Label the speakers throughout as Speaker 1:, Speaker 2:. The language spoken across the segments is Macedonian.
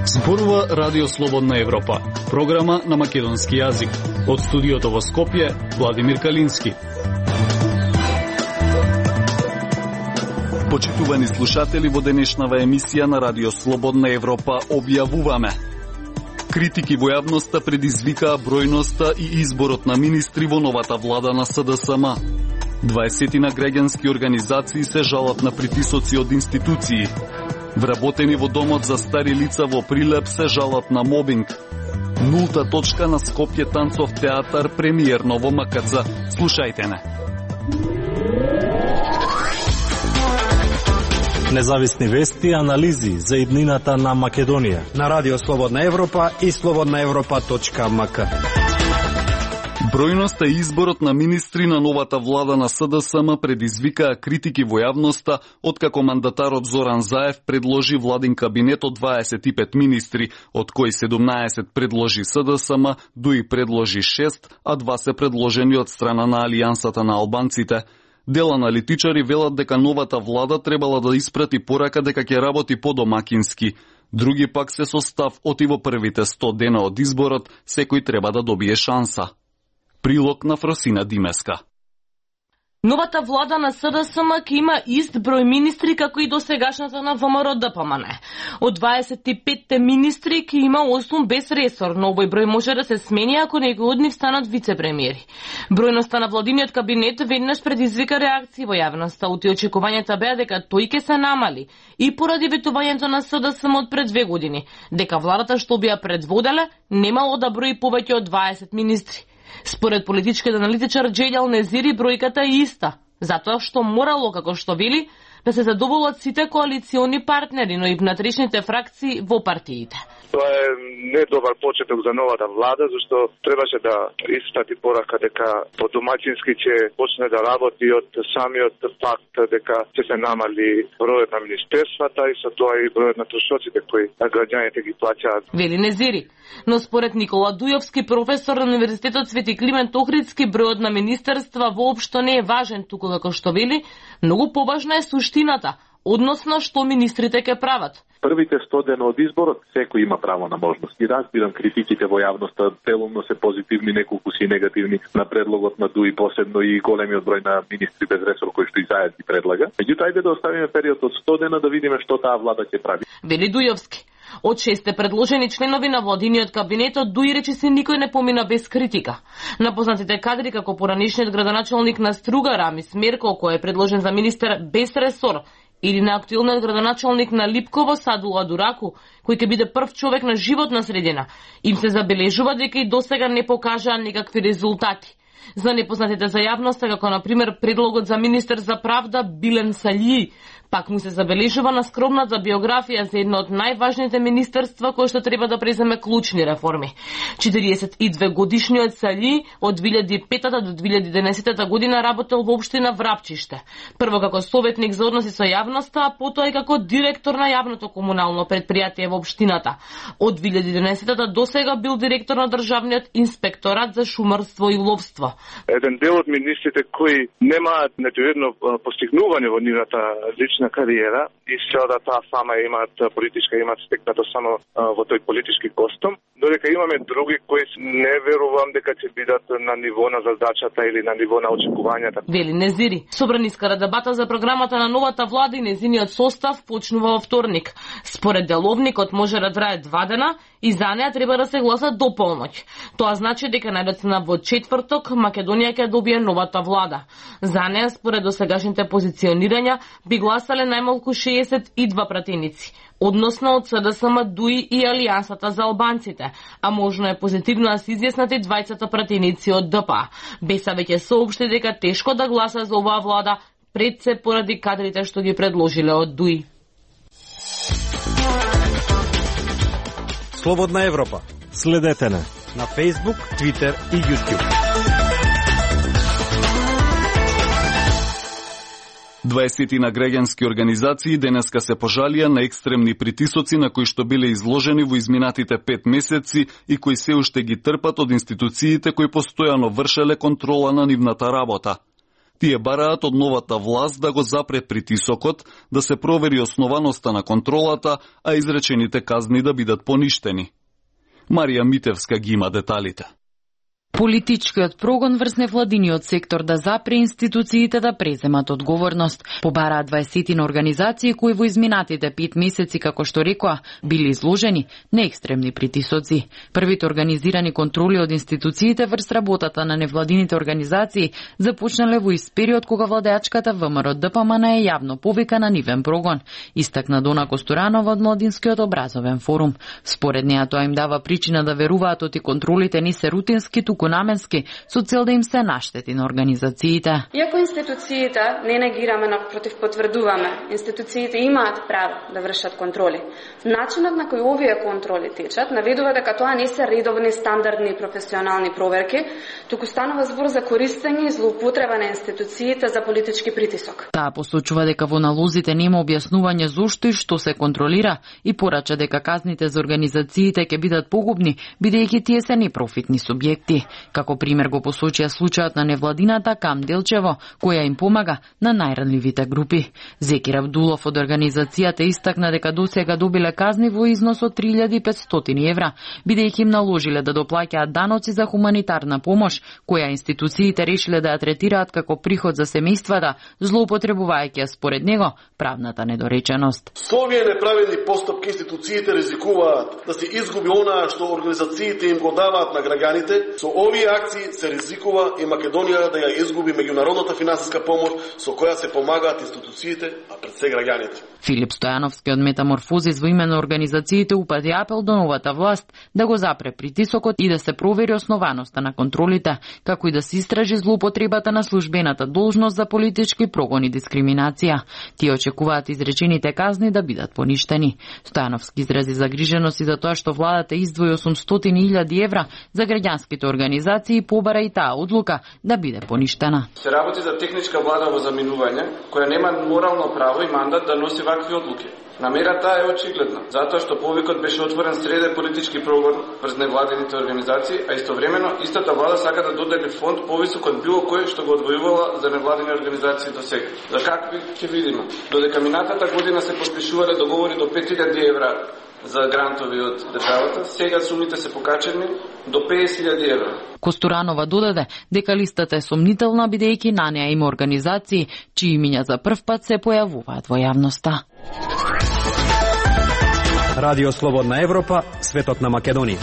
Speaker 1: Зборува Радио Слободна Европа, програма на македонски јазик. Од студиото во Скопје, Владимир Калински. Почитувани слушатели, во денешнава емисија на Радио Слободна Европа објавуваме: критики во јавноста предизвикаа бројноста и изборот на министри во новата влада на СДСМ. 20 на граѓански организации се жалат на притисоци од институции. Вработени во домот за стари лица во Прилеп се жалат на мобинг. Нулта точка на Скопје танцов театар премиерно во МКЦ. Слушајте не.
Speaker 2: Независни вести и анализи за иднината на Македонија
Speaker 3: на Радио Слободна Европа и slobodnaevropa.mk.
Speaker 1: Бројноста и изборот на министри на новата влада на СДСМ предизвикаа критики во јавноста, откако мандатарот Зоран Заев предложи владин кабинет од 25 министри, од кои 17 предложи СДСМ, ДУИ предложи 6, а 2 се предложени од страна на Алијансата на албанците. Дел аналитичари велат дека новата влада требала да испрати порака дека ќе работи подомакински. Други пак се со став оти во првите 100 дена од изборот секој треба да добие шанса. Прилог на Фросина Димеска.
Speaker 4: Новата влада на СДСМ ќе има ист број министри како и досегашната на ВМРО-ДПМН. Од 25 министри ќе има 8 без ресор, но овој број може да се смени ако некој од нив станат вице-премиери. Бројноста на владиниот кабинет веднаш предизвика реакции во јавноста, оти очекувањата беа дека тој ќе се намали и поради ветувањето на СДСМ од пред 2 години, дека владата што би ја предводеле немало да брои повеќе од 20 министри. Според политичкиот аналитичар Джелјал Незири, бројката е иста, затоа што морало, како што вели, да се задоволат сите коалициони партнери, но и внатрешните фракции во партиите.
Speaker 5: Тоа е недобар почеток за новата влада, зашто требаше да испрати порака дека подомаќински ќе почне да работи од самиот факт дека ќе се намали бројот на министерствата и со тоа и бројот на трошоците кои граѓаните ги плаќаат.
Speaker 4: Вели Незири. Но според Никола Дујовски, професор на Универзитетот Свети Климент Охридски, бројот на министерства воопшто не е важен, туку како што вели, многу поважна е суштината, односно што министрите ќе прават.
Speaker 6: Првите 100 дена од изборот секој има право на можности. Разбирам критиките во јавноста, делумно се позитивни, неколку си негативни на предлогот на ДУИ, посебно и големиот број на министри без ресор кои што и Заев ги предлага. Меѓутоа, ајде да оставиме период од 100 дена да видиме што таа влада ќе прави.
Speaker 4: Вели Дујовски. Од 6 предложени членови на владиниот кабинет од ДУИ речиси никој не помина без критика. Напознатите кадри како поранишниот градоначалник на Струга Рамис Мерко, кој е предложен за министер без ресор, или на актуелниот градоначалник на Липково Садула Дураку, кој ќе биде прв човек на животна средина, им се забележува дека и досега не покажаа никакви резултати. За непознатите за јавноста, како на пример предлогот за министер за правда Билен Саљи, пак му се забележува на скромната биографија за едно од најважните министерства кој што треба да преземе клучни реформи. 42 годишниот Саљи од 2005 до 2011 година работел во општина Врапчиште. Прво како советник за односи со јавноста, а потоа и како директор на јавното комунално предпријатие во општината. Од 2011 до сега бил директор на државниот инспекторат за шумарство и ловство.
Speaker 5: Еден дел од министрите кои немаат ниту едно постигнување во нивната лична кариера и се да таа сама имаат политичка, имаат стекнато само во тој политички костум, додека имаме други кои не верувам дека ќе бидат на ниво на задачата или на ниво на очекувањата.
Speaker 4: Вели Незири. Собраниска дебата за програмата на новата влада и незиниот состав почнува во вторник. Според деловникот може да трае 2 дена и за неа треба да се гласа до полноќ. Тоа значи дека најдоцна во четврток Македонија ќе добие новата влада. За неа, според досегашните позиционирања, би гласале најмалку 62 пратеници, односно од СДСМ, ДУИ и Алијансата за албанците, а можно е позитивно да се изјаснат и двајцата пратеници од ДПА. БЕСА веќе соопшти дека тешко да гласа за оваа влада, пред се поради кадрите што ги предложиле од ДУИ.
Speaker 3: Слободна Европа.
Speaker 2: Следете на
Speaker 3: Facebook, Twitter и YouTube.
Speaker 1: 20 на граѓански организации денеска се пожалија на екстремни притисоци на кои што биле изложени во изминатите 5 месеци и кои се уште ги трпат од институциите кои постојано вршеле контрола на нивната работа. Тие бараат од новата власт да го запре притисокот, да се провери основаноста на контролата, а изречените казни да бидат поништени. Марија Митевска ги има деталите.
Speaker 7: Политичкиот прогон врз невладиниот сектор да запре институциите да преземат одговорност. Побараат 20 организации кои во изминатите 5 месеци, како што рекоа, били изложени на екстремни притисоци. Првите организирани контроли од институциите врз работата на невладините организации започнале во ист период кога владеачката ВМРО ДПМН е јавно повика на нивен прогон, истакна Дона Костуранова од Младинскиот образовен форум. Според неа тоа им дава причина да веруваат оти контролите не се рутински, туку наменски, со цел да им се наштети на организациите.
Speaker 8: Иако институциите не негираме, напротив потврдуваме, институциите имаат право да вршат контроли. Начинот на кој овие контроли течат наведува дека тоа не се редовни, стандардни и професионални проверки, туку станува збор за користење и злоупотреба на институциите за политички притисок.
Speaker 7: Таа посочува дека во налозите нема објаснување зошто и што се контролира и порача дека казните за организациите ќе бидат погубни, бидејќи тие се непрофитни субјекти. Како пример го посочија случајот на невладината Кам Делчево, која им помага на најранливите групи. Зекир Абдулов од организацијата истакна дека досега добиле казни во износ од 3500 евра, бидејќи им наложиле да доплаќаат даноци за хуманитарна помош, која институциите решиле да ја третираат како приход за семејствата, злоупотребувајќи според него правната недореченост.
Speaker 9: Со овие неправедни постапки институциите ризикуваат да се изгуби онаа што организациите им го даваат на граѓаните. Со овие акции се ризикува и Македонија да ја изгуби меѓународната финансиска помош со која се помагаат институциите, а пред се граѓаните.
Speaker 7: Филип Стојановски од Метаморфозис во име на организациите упати апел до новата власт да го запре притисокот и да се провери основаноста на контролите, како и да се истражи злоупотребата на службената должност за политички прогон и дискриминација. Тие очекуваат изречените казни да бидат поништени. Стојановски изрази загриженост и за тоа што владата издвои 800.000 евра за граѓанските организации, побара и таа одлука да биде поништена.
Speaker 10: Се работи за техничка влада во заминување, која нема морално право и мандат да носи вакви одлуки. Намерата е очигледна, затоа што повикот беше отворен среде политички прогон врз невладените организации, а истовремено истата влада сака да додели фонд повисок од било кој што го одвојувала за невладени организации до сега. За какви ќе видиме? Додека минатата година се подпишувале договори до 5.000 евра за грантови од државата, сега сумите се покачени до 50.000 евра.
Speaker 7: Костуранова додаде дека листата е сомнителна, бидејќи на неа има организации чии имиња за прв пат се појавуваат во јавноста.
Speaker 3: Радио Слободна Европа, светот на Македонија.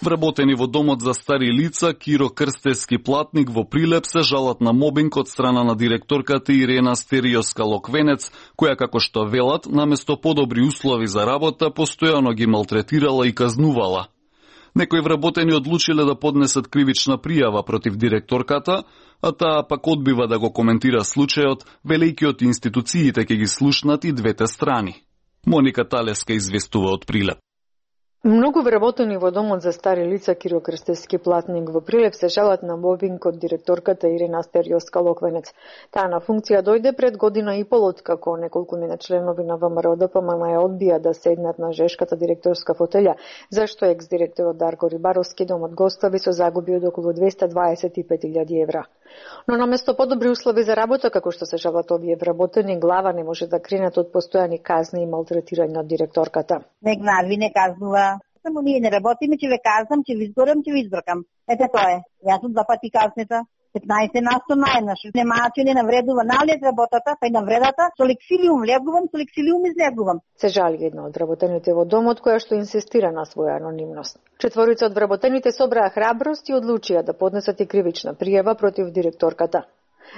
Speaker 1: Вработени во домот за стари лица Киро Крстевски Платник во Прилеп се жалат на мобинг од страна на директорката Ирена Стериоска-Локвенец, која, како што велат, наместо подобри услови за работа, постојано ги малтретирала и казнувала. Некои вработени одлучиле да поднесат кривична пријава против директорката, а таа пак одбива да го коментира случајот, велејќи од институциите ќе ги слушнат и двете страни. Моника Талеска известува од Прилеп.
Speaker 11: Многу вработени во домот за стари лица Киро Крстевски Платник во Прилеп се жалат на мобинг од директорката Ирена Стериоска-Локвенец. Таа на функција дојде пред година и пол откако неколкумина членови на ВМРО ДПМН ја одбија да седнат на жешката директорска фотелја, зашто екс-директорот Дарко Рибаровски домот гостови со загуби од околу 225.000 евра. Но наместо подобри услови за работа, како што се жалат овие вработени, глава не може да кренат од постојани казни и малтретирање од директорката.
Speaker 12: Не гнави, не казнува. Само ние не работиме, ќе ве казнам, ќе ви изгорам, ќе ви избркам. Ете тоа е. Јас сум 2 пати казнета. 15 на 100 најнаш. Немаа че не навредува налез работата, па и навредата, со лексилиум влегувам, со лексилиум излегувам.
Speaker 11: Се жали една од вработените во домот, која што инсистира на своја анонимност. Четворица од вработените собраа храброст и одлучија да поднесат и кривична пријава против директорката.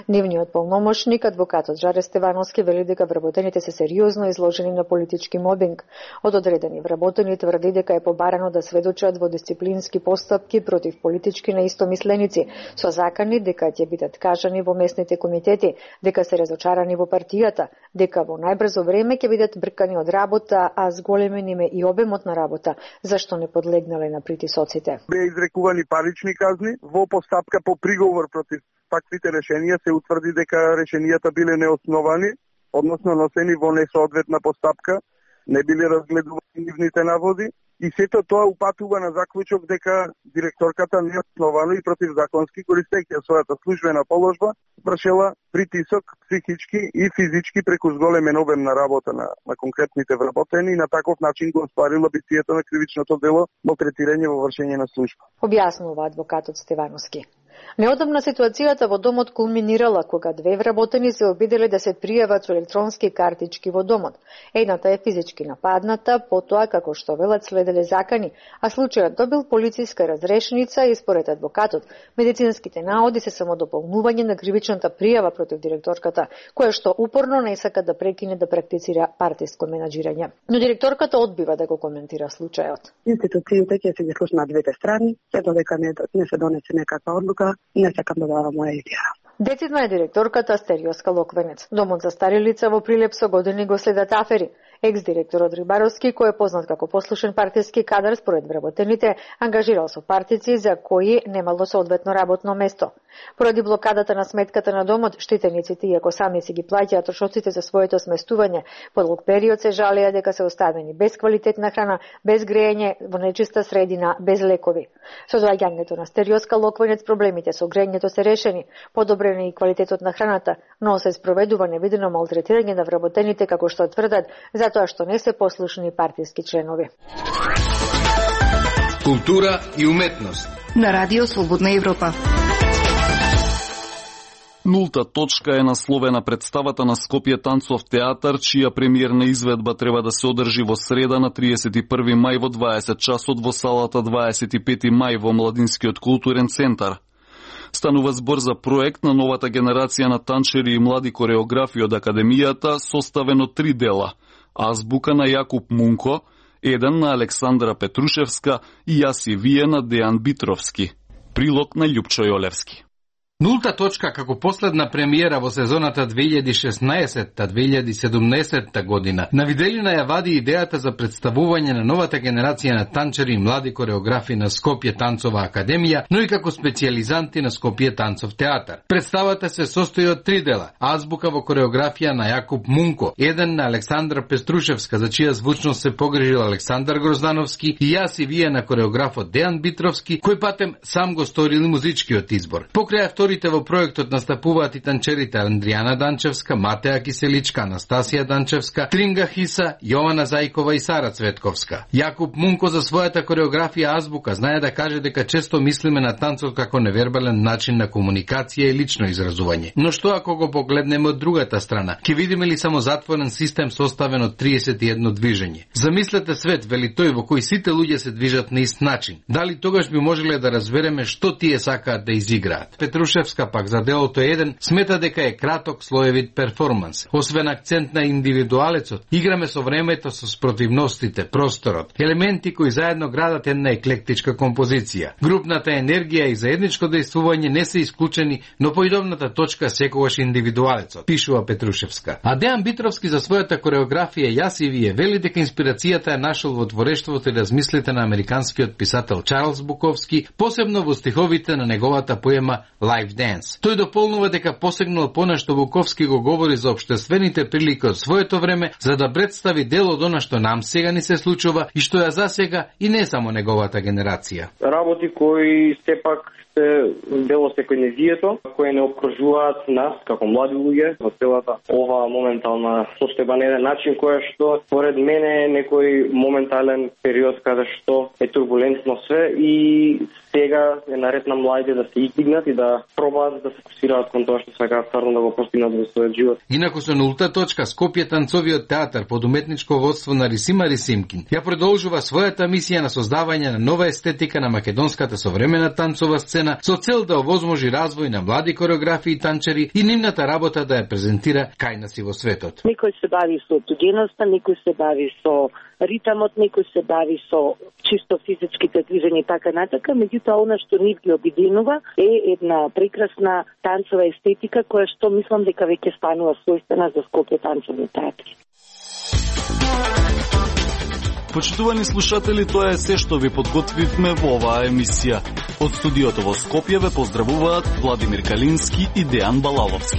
Speaker 11: Нивниот полномошник, адвокатот Жаре Стевановски, вели дека вработените се сериозно изложени на политички мобинг. Од одредени вработени тврди дека е побарано да сведочат во дисциплински постапки против политички неистомисленици, со закани дека ќе бидат кажани во местните комитети, дека се разочарани во партијата, дека во најбрзо време ќе бидат бркани од работа, а зголемен им е и обемот на работа, зашто не подлегнале на притисоците.
Speaker 13: Беа изрекувани парични казни во постапка по приговор против таквите решенија. Се утврди дека решенијата биле неосновани, односно носени во несоодветна постапка, не биле разгледувани нивните наводи И сето тоа упатува на заклучок дека директорката неосновано и противзаконски, користејќи својата службена положба, вршела притисок психички и физички преку зголемен обем на работа на конкретните вработени и на таков начин го остварила битието на кривичното дело малтретирање во вршење на служба.
Speaker 11: Објаснува адвокатот Стевановски. Неодамна ситуацијата во домот кулминирала кога две вработени се обиделе да се пријават со електронски картички во домот. Едната е физички нападната, потоа како што велат следеле закани, а случајот добил полициска разрешница и според адвокатот медицинските наоди се само дополнување на кривичната пријава против директорката, која што упорно не сака да прекине да практицира партиско менаџирање. Но директорката одбива да го коментира случајот.
Speaker 14: Институциите ќе се ги слушнат на двете страни, се додека не се донесе некаква одлука, не сакам да давам моја изјава.
Speaker 11: Децидна е директорката Стериоска Локвенец. Домот за стари лица во Прилеп со години го следат афери. Екс-директорот Рибаровски, кој е познат како послушен партиски кадар според вработените, ангажирал со партици за кои немало соодветно работно место. Поради блокадата на сметката на домот, штитениците, иако сами си ги плаќаат трошоците за своето сместување, по долг период се жалеа дека се оставени без квалитетна храна, без грејење, во нечиста средина, без лекови. Со доаѓањето на Стериоска Локвенец проблемите со грејењето се решени, подобрен и квалитетот на храната, но се спроведува невидено малтретирање на вработените, како што тврдат, затоа што не се послушни партиски членови.
Speaker 15: Култура и уметност
Speaker 16: на Радио Слободна Европа.
Speaker 1: Нулта точка е насловена представата на Скопје танцов театар, чија премиерна изведба треба да се одржи во среда на 31 мај во 20 часот во салата 25 мај во Младинскиот културен центар. Станува збор за проект на новата генерација на танчери и млади кореографи од Академијата, составен од 3 дела. Азбука на Јакуп Мунко, еден на Александра Петрушевска и Јас и вие на Дејан Битровски. Прилог на Љупчо Јолевски.
Speaker 17: Нулта точка како последна премиера во сезоната 2016-2017 година на виделина ја вади идејата за представување на новата генерација на танчери и млади кореографи на Скопје танцова академија, но и како специјализанти на Скопје танцов театар. Представата се состои од 3 дела: азбука во кореографија на Јакуп Мунко, еден на Александра Пеструшевска, за чија звучност се погрижил Александар Гроздановски, и Јас и вие на кореографот Дејан Битровски, кој патем сам го сторил музичкиот избор. Покрај авторите во проектот настапуваат и танчерите Андријана Данчевска, Матеја Киселичка, Анастасија Данчевска, Тринга Хиса, Јована Зајкова и Сара Цветковска. Јакуп Мунко за својата кореографија азбука знае да каже дека често мислиме на танцот како невербален начин на комуникација и лично изразување. Но што ако го погледнеме од другата страна? Ќе видиме ли само затворен систем составен од 31 движење? Замислете свет, вели тој, во кој сите луѓе се движат на ист начин. Дали тогаш би можеле да разбереме што тие сакаат да изиграат? Петрушевска пак за делото еден смета дека е краток слоевит перформанс. Освен акцент на индивидуалецот, играме со времето, со спротивностите, просторот, елементи кои заедно градат една еклектичка композиција. Групната енергија и заедничко дејствување не се исклучени, но поидовната точка секогаш индивидуалецот, пишува Петрушевска. А Дејан Битровски за својата кореографија Јас и вие вели дека инспирацијата е нашол во творештвото и размислите на американскиот писател Чарлс Буковски, посебно во стиховите на неговата поема Live Dance. Тој дополнува дека посегнал понешто Буковски го говори за општествените прилики од своето време, за да представи дел од она што нам сега ни се случува и што ја засега и не само неговата генерација.
Speaker 18: Работи кои сепак се дело секојдневието, кои не обкружуваат нас како млади луѓе во целата ова моментална состојба на еден начин која што според мене е некој моментален период каде што е турбулентно све и сега е наред на младите да се издигнат и да пробаат да се фокусираат кон тоа што сакаат стварно да го постигнат во својот живот.
Speaker 17: Инаку со нулта точка Скопје танцовиот театар под уметничко водство на Рисима Рисимкин ја продолжува својата мисија на создавање на нова естетика на македонската современа танцова сцена со цел да овозможи развој на млади кореографи и танчери и нивната работа да ја презентира кај нас и во светот.
Speaker 19: Некој се бави со туѓеноста, некој се бави со ритамот, некој се бави со чисто физичките движења и така натака, меѓутоа она што нив ги обединува е една прекрасна танцова естетика која што мислам дека веќе станува својствена за Скопје танцовни театри.
Speaker 1: Почитувани слушатели, тоа е се што ви подготвивме во оваа емисија. Од студиото во Скопје ве поздравуваат Владимир Калински и Дејан Балаловски.